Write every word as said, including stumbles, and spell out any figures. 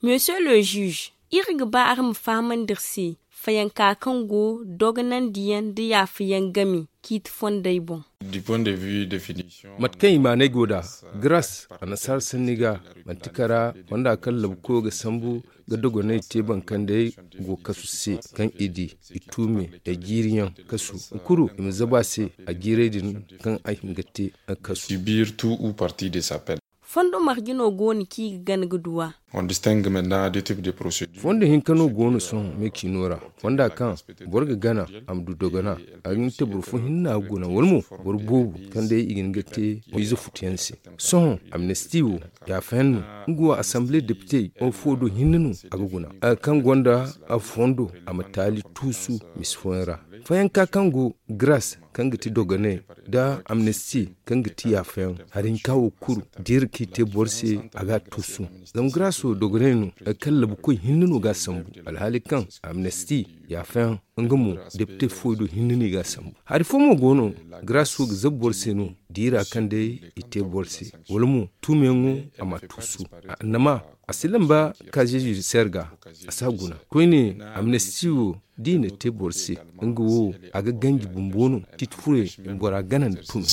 Monsieur le juge, iri ga ba araŋ ma fahamandi iri se fayanka kaŋ go dogonandiyaŋ nda yaafayaŋ game ciiti fondey boŋ. Mate kaŋ i maanay go nd'a, gras annasaara sanni ga, manti kara fonda kaŋ labukoyo ga sambu ga dogonay te bankandey go kasu se, kaŋ i di, i tuume, i jiiriyaŋ kasu, kulu i ma zabu a se a jiiray din kaŋ a hin ga te kasu. Fondo marje no go no kaŋ i ga gana ga du a? Fondo hinka no go no sohõ me ciino ra, fonda kaŋ boro ga gana a ma du dogana, a ga hin ga te boro fo hinne no a ga guna wala mo boro boobo kaŋ day i ga hin ga te ize futuyaŋ se. Sohõ amnesti wo yaafayaŋ no, nga wo asambile depite fo do hinne no a ga guna, kaŋ gonda fondo a ma taali tuusu misi fooyaŋ ra. Fayanka kaŋ go gras kaŋ ga ti dogonay nda amnesti kaŋ ga ti yaafayaŋ, hari hinka wo kulu da iri kaŋ i te boro se a ga a tuusu. Zama gras wo dogonay no, kaŋ labukoy hinne no ga a sambu, alhaali kaŋ amnesti yaafayaŋ nga mo depite fooyaŋ do hinne no i ga a sambu. Hari fo mo go no gras wo ga zabu boro se no diira kaŋ day i te boro se, wala mo tuumeyaŋo a ma a tuusu. Annama a si lamba kaze judiciaire ga, a si a guna koyne. Amnesti wo da i na te boro se, nga wo a ga ganji bumbo no, ciiti furey bora gana nda tun.